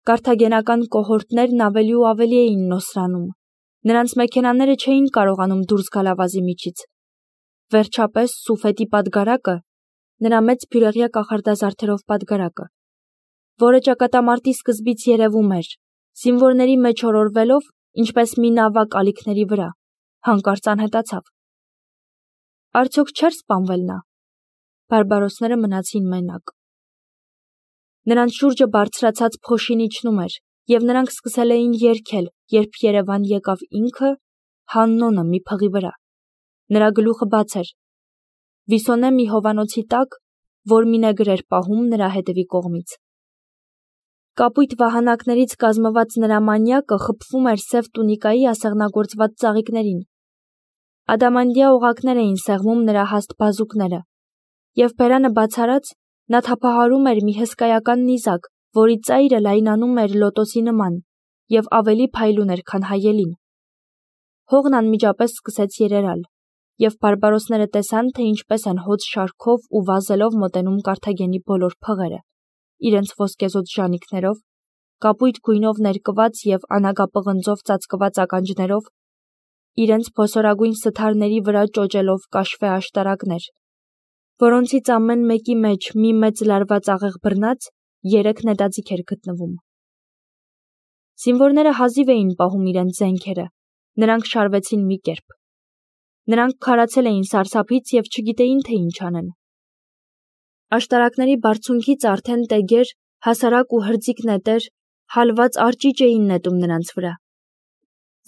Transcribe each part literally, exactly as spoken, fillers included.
Կարթագենական կոհորտներն ավելի ու ավելի էին նոսրանում։ Նրանց մեքենաները չէին կարողանում դուրս գալ ավազի միջից։ Վերջապես Սուֆետի պատգարակը, նրա մեծ բյուրեղյա կախարդազարդերով պատգարակը, որը ճակատամարտի սկզբից երևում էր, զինվորների մեջ օրորվելով, ինչպես մի նավակ ալիքների վրա, հանկարծ անհետացավ։ Արդյոք չէր սպանվել նա։ Բարբարոսները մնացին մենակ։ Նրանց շուրջը բարձրացած փոշին իջնում էր, և նրանք սկսել էին երգել, երբ Երևան եկավ ինքը, Հաննոնը մի փղի վրա։ Նրա գլուխը բաց էր։ Վիսոնե մի հովանոցի տակ, որ մի նեգր էր պահում նրա հետևի կողմից։ Կապույտ վահանակներից կազմված նրա մանյակը խփվում էր սև տունիկայի ասեղնագործված ծաղիկներին։ Ադամանդյա օղակներ էին սեղմում նրա հաստ բազուկները, և բերանը բացարած նա թափահարում էր մի հսկայական նիզակ, որի ծայրը լայնանում էր լոտոսի նման և ավելի փայլուն էր, քան հայելին։ Հողն անմիջապես սկսեց երերալ, և բարբարոսները տեսան, թե ինչպես են հոծ շարքով ու վազելով մոտենում Կարթագենի բոլոր փղերը, իրենց ոսկեզօծ ժանիքներով, կապույտ գույնով ներկված և անագապղնձով ծածկված ականջներով, իրենց փոսորագույն սթարների վրա ճոճելով կաշվե աշտարակներ, որոնցից ամեն մեկի մեջ մի մեծ լարված աղեղ բռնած երեք նետաձիգ էր գտնվում։ Զինվորները հազիվ էին պահում իրենց զենքերը, նրանք շարվեցին մի կերպ։ Նրանք քարացել էին սարսափից և չգիտեին, թե ինչ անեն։ Աշտարակների բարձունքից արդեն տեգեր, հասարակ ու հրձիկ նետեր, հալված արճիճ էին նետում նրանց վրա։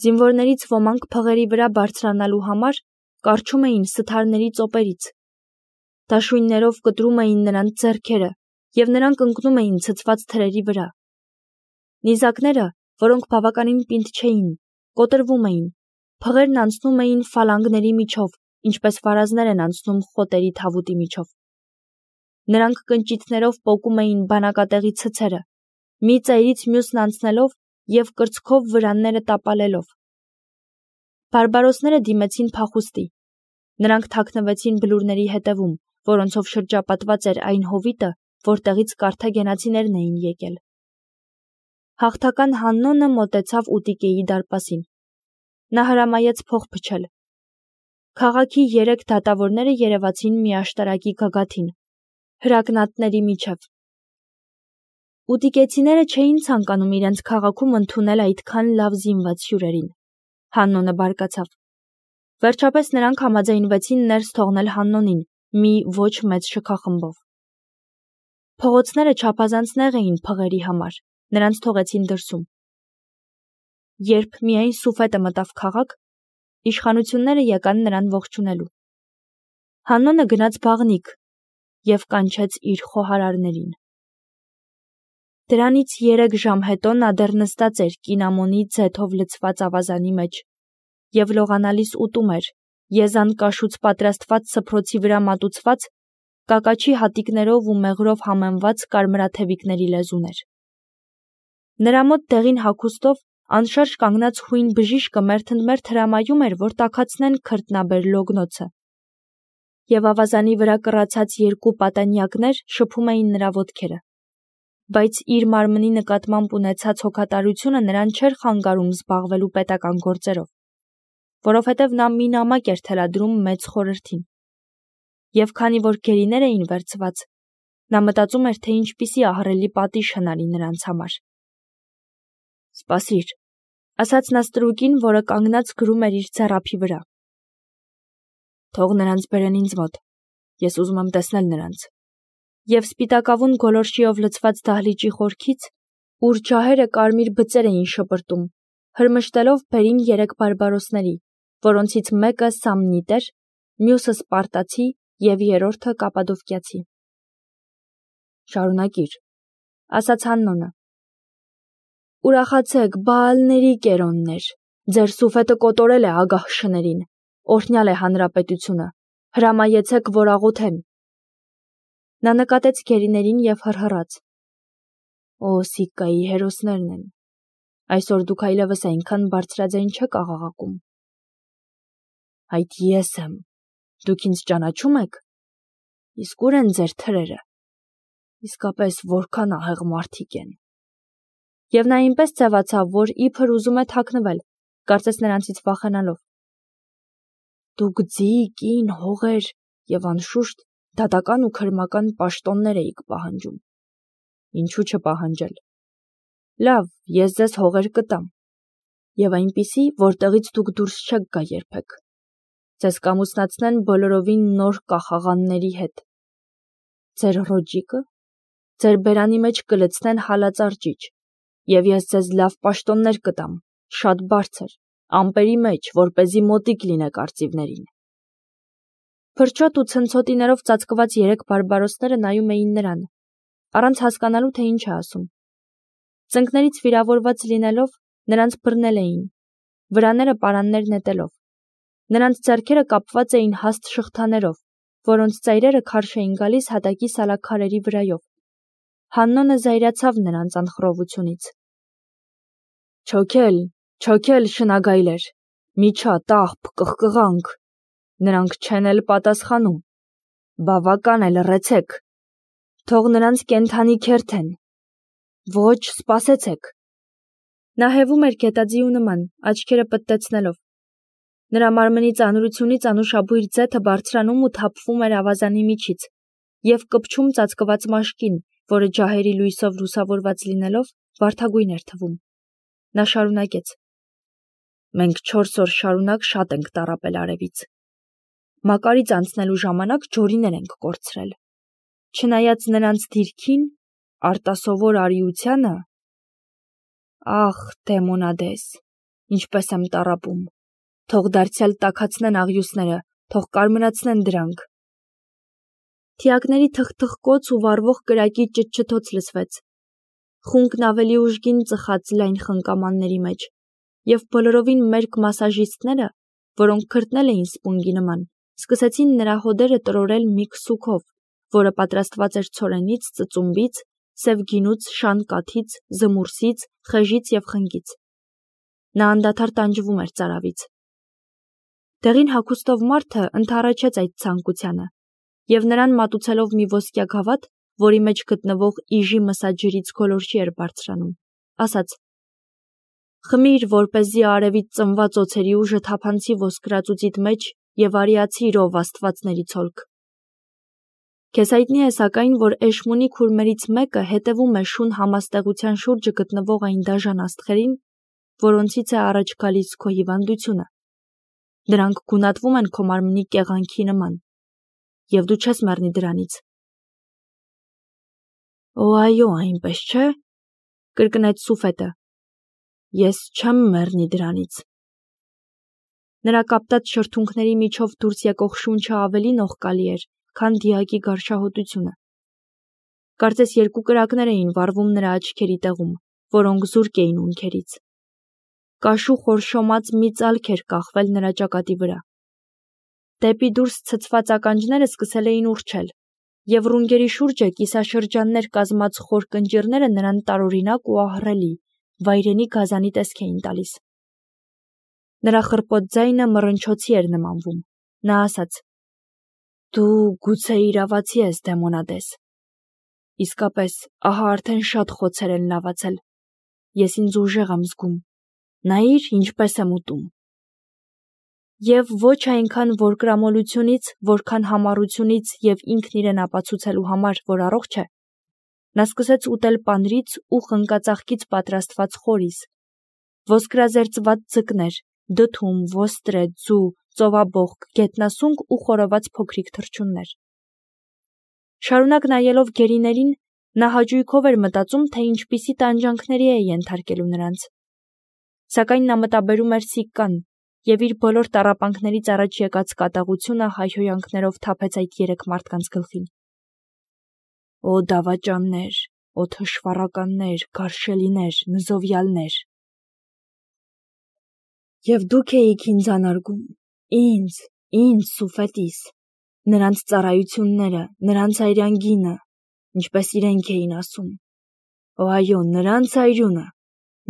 Զինվորներից ոմանք փղերի վրա բարձրանալու համար կառչում էին սթարների ծոպերից։ Դաշույններով կտրում էին նրանց ձեռքերը, և նրանք ընկնում էին ցցված թրերի վրա։ Նիզակները, որոնք բավականին պինդ չէին, կոտրվում էին, փղերն անցնում էին ֆալանգների միջով, ինչպես վարազներ են անցնում խոտերի թավուտի միջով։ Նրանք կնճիթներով պոկում էին բանակատեղի ցցերը, մի ծայրից մյուսն անցնելով և կրծքով վրանները տապալելով։ Բարբարոսները դիմեցին փախուստի։ Նրանք թաքնվեցին բլուրների հետևում, որոնցով շրջապատված էր այն հովիտը, որտեղից կարթագենացիներն էին եկել։ Հաղթական Հաննոնը մոտեցավ Ուտիկեի դարպասին։ Նա հրամայեց փող փչել։ Քաղաքի երեք դատավորները երևացին մի աշտարակի գագաթին, հրակնատների միջև։ Ուտիկեցիները չէին ցանկանում իրենց քաղաքում ընդունել այդքան լավ զինված հյուրերին։ Հաննոնը բարկացավ։ Վերջապես նրանք համաձայնվեցին ներս թողնել Հաննոնին մի ոչ մեծ շքախմբով։ Փողոցները չափազանց նեղ էին փղերի համար, նրանց թողեցին դրսում։ Երբ միայն Սուֆետը մտավ քաղաք, իշխանությունները եկան նրան ողջունելու։ Հաննոնը գնաց բաղնիք և կանչեց իր խոհարարներին։ Դրանից երեք ժամ հետո նա դեռ նստած էր կինամոնի ձեթով լցված ավազանի մեջ և լողանալիս ուտում էր, եզան կաշուց պատրաստված սփռոցի վրա մատուցված, կակաչի հատիկներով ու մեղրով համեմված կարմրաթևիկների լեզուներ։ Նրա մոտ դեղին հագուստով անշարժ կանգնած հույն բժիշկը մերթընդմերթ հրամայում էր, որ տաքացնեն քրտնաբեր լոգնոցը, և ավազանի վրա կռացած երկու պատանյակներ շփում էին նրա ոտքերը, բայց իր մարմնի նկատմամբ ունեցած հոգատարությունը նրան չէր խանգարում զբաղվելու պետական գործերով, որովհետև նա մի նամակ էր թելադրում մեծ խորհրդին։ Եվ քանի որ գերիներ էին վերցված, նա մտածում էր, թե ինչպիսի ահռելի պատիժ հնարի նրանց համար։ «Սպասիր», ասաց նա ստրուկին, որը կանգնած գրում էր իր ձեռափի վրա։ «Թող նրանց բերեն ինձ մոտ, ես ուզում եմ տեսնել նրանց»։ Եվ սպիտակավուն գոլորշիով լցված դահլիճի խորքից, ուր ջահերը կարմիր բծեր էին շպրտում, հրմշտելով բերին երեք բարբարոսների, որոնցից մեկը սամնիտ էր, մյուսը սպարտացի և երրորդը կապադովկիացի։ «Շարունակիր», ասաց Հաննոնը։ «Ուրախացեք, Բաալների կերոններ, ձեր Սուֆետը կոտորել է ագահ շներին, օրհնյալ է հանրապետությունը, հրամայեցեք, որ աղոթեն»։ Նա նկատեց գերիներին և հռհռաց. «Օ, Սիկկայի հերոսներն են, այսօր դուք այլևս այնքան բարձրաձայն չեք աղաղակում»։ «Այդ ես եմ, դուք ինձ ճանաչում եք, իսկ ուր են ձեր թրերը, իսկապես որքան ահեղ մարդիկ են»։ Եվ նա այնպես ձևացավ, որ իբր ուզում է թաքնվել, կարծես նրանցից վախենալով։ Դուք ձի, կին, հողեր եւ անշուշտ դատական ու քրմական պաշտոններ էիք պահանջում։ Ինչու չպահանջել։ Լավ, ես ձեզ հողեր կտամ։ Եվ այնպիսի, որտեղից դուք դուրս չեք գա երբեք։ Ձեզ կամուսնացնեն բոլորովին նոր կախաղանների հետ։ Ձեր ռոջիկը, ձեր բերանի մեջ կլցնեն հալածար ճիճ, եւ ես ձեզ լավ պաշտոններ կտամ, շատ բարձր, ամպերի մեջ, որպեսզի մոտիկ լինեք արծիվներին։ Փրչոտ ու ցնցոտիներով ծածկված երեք բարբարոսները նայում էին նրան, առանց հասկանալու, թե ինչ է ասում։ Ծնկներից վիրավորված լինելով, նրանց բռնել էին, վրաները պարաններ նետելով։ Նրանց ձեռքերը կապված էին հաստ շղթաներով, որոնց ծայրերը քարշ էին գալիս հատակի սալաքարերի վրայով։ Հաննոնը զայրացավ նրանց անխռովությունից։ Չոքել, չոքել շնագայլեր, միջա, տաղբ, կղկղանք, նրանք չեն էլ պատասխանում, բավական է լռեցեք, թող նրանց կենդանի քերթեն, ոչ, սպասեցեք։ Նա հևում էր գետաձիու նման, աչքերը պտտեցնելով։ Նրա մարմնի ծանրությունից անուշաբույր ձեթը բարձրանում ու թափվում էր ավազանի միջից և կպչում ծածկված մաշկին, որը ջահերի լույսով լուսավորված լինելով, վարդագույն էր թվում։ Նա շարունակեց. Մենք չորս օր շարունակ շատ ենք տառապել արևից։ Մակարից անցնելու ժամանակ ջորիներ ենք կորցրել։ Չնայած նրանց դիրքին, արտասովոր արիությանը, ախ, դեմոնադես, ինչպես եմ տառապում, թող դարձյալ տաքացնեն աղյուսները, թող կարմրացնեն դրանք։ Թիակների թխթխկոց ու վառվող կրակի ճտչտոց լսվեց։ Խունկն ավելի ուժգին ծխաց լայն խնկամանների մեջ, և բոլորովին մերկ մասաժիստները, որոնք քրտնել էին սպունգի նման, սկսեցին նրա հոդերը տրորել մի քսուքով, որը պատրաստված էր ցորենից, ծծումբից, սև գինուց, շան կաթից, զմուրսից, խեժից և խնկից։ Նա անդադար տանջվում էր ծարավից։ Դեղին հագուստով մարդը ընդառաջեց այդ ցանկությանը, և նրան մատուցելով մի ոսկյա գավաթ, որի մեջ գտնվող իժի մսաջրից գոլորշի էր բարձրանում, ասաց. Խմիր, որպեսզի արևից ծնված օձերի ուժը թափանցի ոսկրածուծիդ մեջ և արիացի իրով աստվածների ցոլք։ Քեզ հայտնի է սակայն, որ Էշմունի քուրմերից մեկը հետևում է շուն համաստեղության շուրջը գտնվող այն դաժան աստղերին, որոնցից է առաջ գալիս քո հիվանդությունը։ Նրանք գունատվում են քո մարմնի կեղանքի նման, և դու չես մեռնի դրանից։ Օ, այո, այնպես չէ, կրկնեց Սուֆետը։ Ես չեմ մեռնի դրանից։ Նրա կապտած շրթունքների միջով դուրս եկող շունչը ավելի նողկալի էր, քան դիակի գարշահոտությունը։ Կարծես երկու կրակներ էին վառվում նրա աչքերի տեղում, որոնք զուրկ էին ունքերից։ Կաշու խորշոմած մի ծալք էր կախվել նրա ճակատի վրա։ Դեպի դուրս ցցված ականջները սկսել էին ուռչել, և ռունգերի շուրջը կիսաշրջաններ կազմած խոր կնճիռները նրան տարօրինակ ու ահռելի, վայրենի գազանի տեսք էին տալիս։ Նրա խռպոտ ձայնը մռնչոցի էր նմանվում։ Նա ասաց. Դու գուցե իրավացի ես, դեմոնադես։ Իսկապես, ահա արդեն շատ խոցեր են լավացել։ Ես ինձ ուժեղ եմ զգում։ Նայիր, ինչպես եմ ուտում։ Եվ ոչ այնքան որկրամոլությունից, որքան համառությունից և ինքն իրեն ապացուցելու համար, որ առողջ է, նա սկսեց ուտել պանրից ու խնկածաղկից պատրաստված խորիս, ոսկրազերծված ձկներ, դդում, ոստրե, ձու, ծովաբոխկ, գետնասունկ ու խորոված փոքրիկ թռչուններ։ Շարունակ նայելով գերիներին, նա հաճույքով էր մտածում, թե ինչպիսի տանջանքների է ենթարկելու նրանց։ Սակայն նա մտաբերում էր Սիկկան, և իր բոլոր տառապանքներից առաջ եկած կատաղությունը հայհոյանքներով թափեց այդ երեք մարդկանց գլխին։ Օ դավաճաններ, օ թշվառականներ, գարշելիներ, նզովյալներ։ Եվ դուք էիք ինձ անարգում, ինձ, ինձ Սուֆետիս, նրանց ծառայությունները, նրանց այրանգինը, ինչպես իրենք էին ասում։ Օ այո, նրանց այրունը,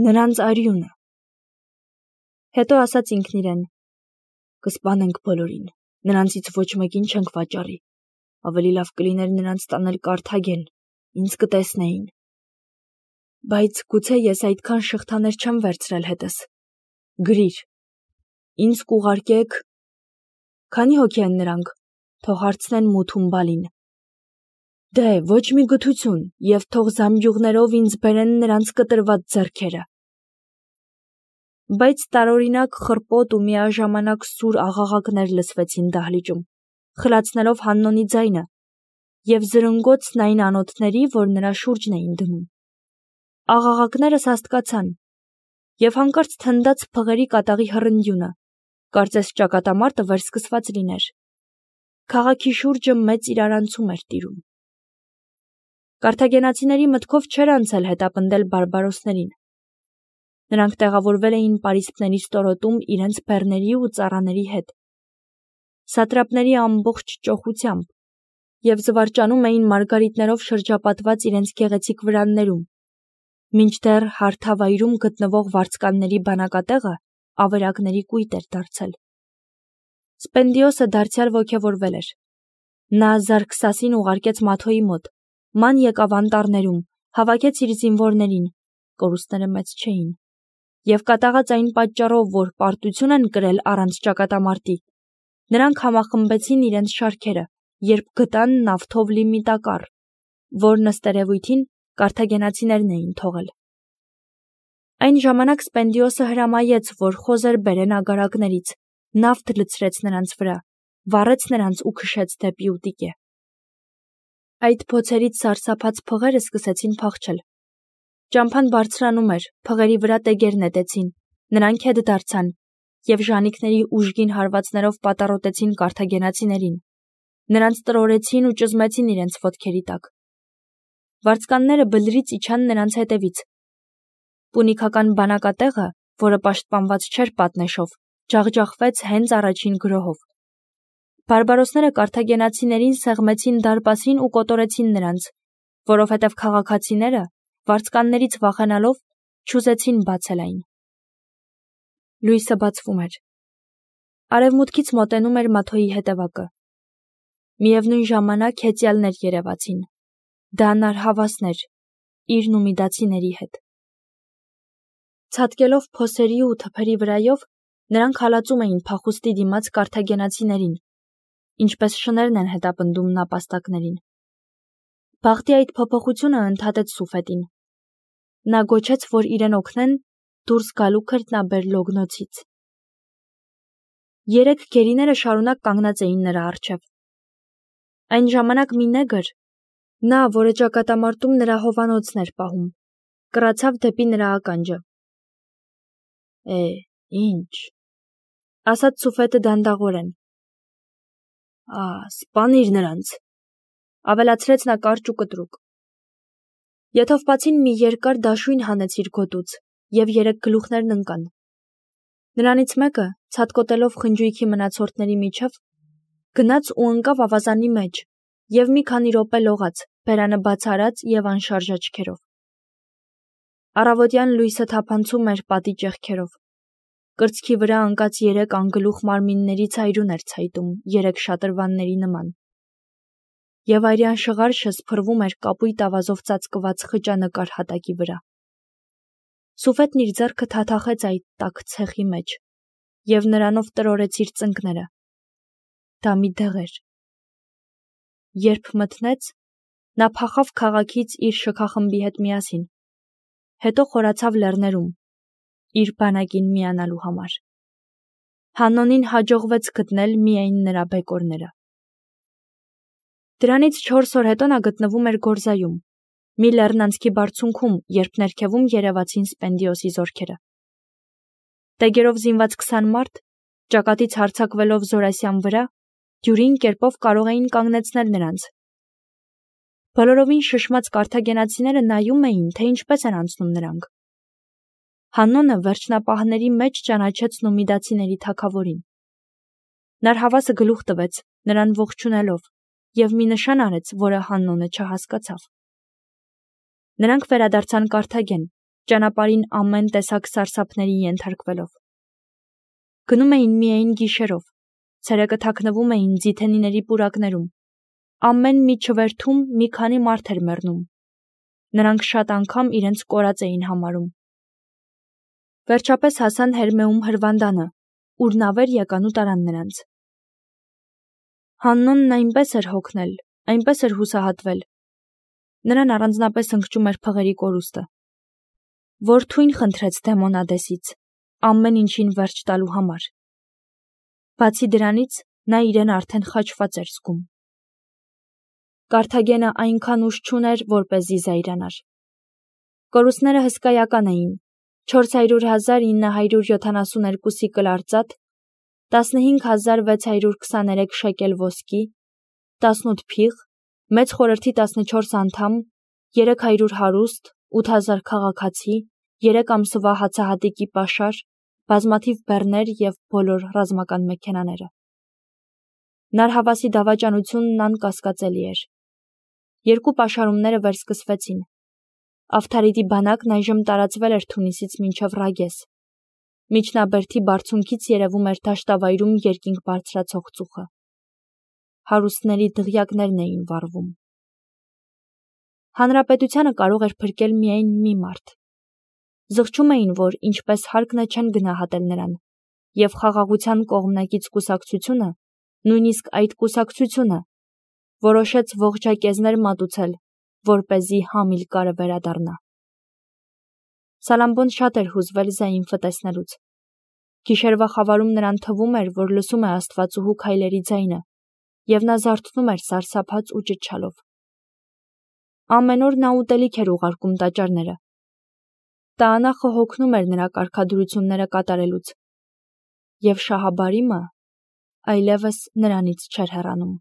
նրանց արյունը։ Հետո ասաց ինքն իրեն. Կսպանենք բոլորին, նրանցից ոչ մեկին չենք վաճառի, ավելի լավ կլիներ նրանց տանել Կարթագեն, ինձ կտեսնեին։ Բայց գուցե ես այդքան շղթաներ չեմ վերցրել հետս։ Գրիր։ Ինձ կուղարկեք։ Քանի հոգի են նրանք, թող հարցնեն Մութուն Բալին։ Դե, ոչ մի գթություն, և թող զամբյուղներով ինձ բերեն նրանց կտրված ձեռքերը։ Բայց տարօրինակ խռպոտ ու միաժամանակ սուր աղաղակներ լսվեցին դահլիճում, խլացնելով Հաննոնի ձայնը, և զրնգոցն այն անոթների, որ նրա շուրջն էին դնում։ Աղաղակները սաստկացան, և հանկարծ թնդաց փղերի կատաղի հռնդյունը, կարծես ճակատամարտը վերսկսված լիներ։ Քաղաքի շուրջը մեծ իրարանցում էր տիրում։ Կարթագենացիների մտքով չէր անցել հետապնդել բարբարոսներին։ Նրանք տեղավորվել էին պարիսպների ստորոտում իրենց բեռների ու ծառաների հետ, սատրապների ամբողջ ճոխությամբ, և զվարճանում էին մարգարիտներով շրջապատված իրենց գեղեցիկ վրաններում, մինչդեռ հարթավայրում գտնվող վարձկանների բանակատեղը ավերակների կույտ էր դարձել։ Սպենդիոսը դարձյալ ոգևորվել էր։ Նա Զարքսասին ուղարկեց Մաթոյի մոտ, ման եկավ անտառներում, հավաքեց իր զինվորներին, կորուստները մեծ չէին, և կատաղած այն պատճառով, որ պարտություն են կրել առանց ճակատամարտի, նրանք համախմբեցին իրենց շարքերը, երբ գտան նավթով լի մի տակառ, որն ըստ երևույթին կարթագենացիներն էին թողել։ Այն ժամանակ Սպենդիոսը հրամայեց, որ խոզեր բերեն ագարակներից, նավթ լցրեց նրանց վրա, վառեց նրանց ու քշեց դեպի Ուտիկե։ Այդ փոցերից սարսափած փղերը սկսեցին փախչել։ Ճամփան բարձրանում էր, փղերի վրա տեգեր նետեցին, նրանք հետ դարձան, և ժանիքների ուժգին հարվածներով պատառոտեցին կարթագենացիներին, նրանց տրորեցին ու ճզմեցին իրենց ոտքերի տակ։ Վարձկանները բլրից իջան նրանց հետևից։ Պունիկական բանակատեղը, որը պաշտպանված չէր պատնեշով, ջախջախվեց հենց առաջին գրոհով։ Բարբարոսները կարթագենացիներին սեղմեցին դարպասին ու կոտորեցին նրանց, որովհետև քաղաքացիները, վարձկաններից վախենալով, չուզեցին բացել այն։ Լույսը բացվում էր։ Արևմուտքից մոտենում էր Մաթոյի հետևակը։ Միևնույն ժամանակ հեծյալներ երևացին, դանար հավասներ, իր նումիդացիների հետ։ Ցատկելով փոսերի ու թփերի վրայով, նրանք հալածում էին փախուստի դիմաց կարթագենացիներին, ինչպես շներն են հետապնդում նապաստակներին։ Բախտի այդ փոփոխությունը ընդհատեց Սուֆետին։ Նա գոչեց, որ իրեն օգնեն դուրս գալու քրտնաբեր լոգնոցից։ Երեք գերիները շարունակ կանգնած էին նրա առջև։ Այն ժամանակ մի նեգր, նա, որը ճակատամարտում նրա հովանոցն էր պահում, կռացավ դեպի նրա ականջը։ Է, ինչ, ասաց Սուֆետը դանդաղորեն։ Ա, սպանիր նրանց, ավելացրեց նա կարճ ու կտրուկ։ Եթովպացին մի երկար դաշույն հանեց իր գոտուց, և երեք գլուխներն ընկան։ Նրանից մեկը, ցատկոտելով խնջույքի մնացորդների միջև, գնաց ու ընկավ ավազանի մեջ, և մի քանի րոպե լողաց, բերանը բաց արած և անշարժ աչքերով։ Առավոտյան լույսը թափանցում էր պատի ճեղքերով։ Կրծքի վրա ընկած երեք անգլուխ մարմինների ցայրուն էր ցայտում երեք շատրվանների նման, և արյան շղարշը սփռվում էր կապույտ ավազով ծածկված խճանկար հատակի վրա։ Սուֆետն իր ձեռքը թաթախեց այդ տաք ցեխի մեջ, և նրանով տրորեց իր ծնկները։ Դա մի դեղ էր։ Երբ մթնեց, նա փախավ քաղաքից իր շքախմբի հետ միասին, հետո խորացավ լեռներում, իր բանակին միանալու համար։ Հաննոնին հաջողվեց գտնել միայն նրա բեկորները։ Դրանից չորս օր հետո նա գտնվում էր Գորզայում, մի լեռնանցքի բարձունքում, երբ ներքևում երևացին Սպենդիոսի զորքերը։ Տեգերով զինված քսան մարդ, ճակատից հարձակվելով Զորասյան վրա, դյուրին կերպով կարող էին կանգնեցնել նրանց։ Բոլորովին շշմած կարթագենացիները նայում էին, թե ինչպես են անցնում նրանք։ Հաննոնը վերջնապահների մեջ ճանաչեց նումիդացիների թագավորին։ Նարհավասը գլուխ տվեց, նրան ողջունելով, և մի նշան արեց, որը Հաննոնը չհասկացավ։ Նրանք վերադարձան Կարթագեն, ճանապարհին ամեն տեսակ սարսափների ենթարկվելով։ Գնում էին միայն գիշերով, ցերեկը թաքնվում էին ձիթենիների պուրակներում, ամեն մի չվերթում մի քանի մարդ էր մեռնում, Նրանք շատ անգամ իրենց կորած էին համարում։ Վերջապես հասան Հերմեում հրվանդանը, ուր նավեր եկան ու տարան նրանց։ Հաննոնն այնպես էր հոգնել, այնպես էր հուսահատվել։ Նրան առանձնապես ընկճում էր փղերի կորուստը։ Որ թույն խնդրեց Դեմոնադեսից, ամեն ինչին վերջ տալու համար։ Բացի դրանից, նա իրեն արդեն խաչված էր զգում։ Կարթագենը այնքան ուժ չուներ, որպեսզի զայրանար։ Կորուստները հսկայական էին՝ չորս հարյուր հազար ինը հարյուր յոթանասունհինգ սիկլ արծաթ, տասնհինգ հազար վեց հարյուր քսաներեք շեկել ոսկի, տասնութ փիղ, մեծ խորհրդի տասնչորս անդամ, երեք հարյուր հարուստ, ութ հազար քաղաքացի, երեք ամսվա հացահատիկի պաշար, բազմաթիվ բեռներ և բոլոր ռազմական մեքենաները։ Նարհավասի դավաճանությունն անկասկածելի էր։ Երկու պաշարումները վերսկսվեցին։ Ավթարիդի բանակն այժմ տարածվել էր Թունիսից մինչև Ռագես։ Միջնաբերդի բարձունքից երևում էր դաշտավայրում երկինք բարձրացող ծուխը։ Հարուստների դղյակներն էին վառվում։ Հանրապետությանը կարող էր փրկել միայն մի մարդ։ Զղջում էին, որ ինչպես հարկն է չեն գնահատել նրան, և խաղաղության կողմնակից կուսակցությունը, նույնիսկ այդ կուսակցությունը, որոշեց ողջակեզներ մատուցել, որպեսզի Համիլկարը վերադառնա։ Սալամբոն շատ էր հուզվել Զայինֆը տեսնելուց։ Գիշերվա խավարում նրան թվում էր, որ լսում է աստվածուհու քայլերի ձայնը, և նա զարթնում էր սարսափած ու ճչալով։ Ամեն օր նա ուտելիք էր ուղարկում տաճարները։ Տաանախը հոգնում էր նրա կարգադրությունները կատարելուց, և Շահաբարիմը այլևս նրանից չէր հեռանում։